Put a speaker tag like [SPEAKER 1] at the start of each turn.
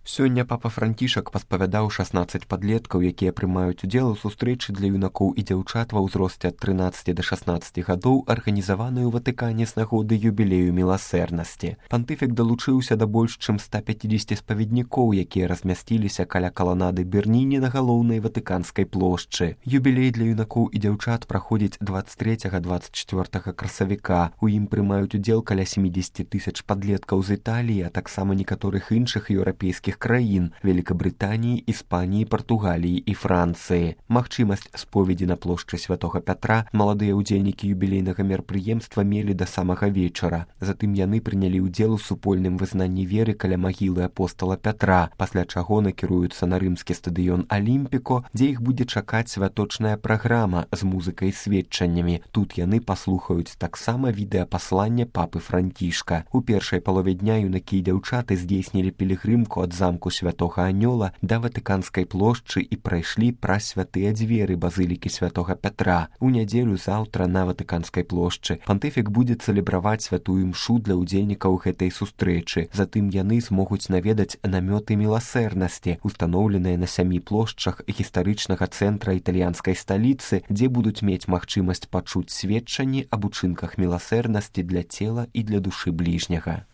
[SPEAKER 1] Сёння папа Францішак паспавядаў 16 падлеткаў, якія прымаюць удзел у сустрэчы для юнакоў і дзяўчат ва ўзросце ад 13 да 16 гадоў, арганізаваную ў Ватыкане з нагоды юбілею міласэрнасці. Пантыфік далучыўся да больш чым 150 спаведнікоў, якія размясціліся каля каланады Берніні на галоўнай ватыканскай плошчы. Юбілей для юнакоў і дзяўчат праходзіць 23-24 красавіка. У ім прымаюць удзел каля 70 тысяч падлеткаў з Італіі, а таксама некаторых іншых еўрапейскіх краін – Великабрытаніі, Іспаніі, Партугаліі і Францыі. Магчымасць споведзі на плошчы Святога Пятра маладыя ўдзельнікі юбілейнага мерапрыемства мелі да самага вечара. Затым яны прынялі ўдзел у супольным вызнанні веры каля магілы апостала Пятра, пасля чаго накіруюцца на рымскі стадыён Алімпіко, дзе іх будзе чакаць святочная праграма з музыкай і сведчаннямі. Тут яны паслухаюць таксама відэапасланне папы Францішка. У першай палове дня юнакі і дзяўчаты здзейснілі пілігрымку ад замку Святога Анёла да Ватыканскай плошчы і прайшлі праз святыя дзверы базылікі Святога Пятра. У нядзелю заўтра на Ватыканскай плошчы пантыфік будзе цэлебраваць святую імшу для ўдзельнікаў гэтай сустрэчы. Затым яны змогуць наведаць намёты міласэрнасці, устаноўленыя на 7 плошчах гістарычнага цэнтра італьянскай сталіцы, дзе будуць мець магчымасць пачуць сведчанні аб учынках міласэрнасці для цела і для душы бліжняга.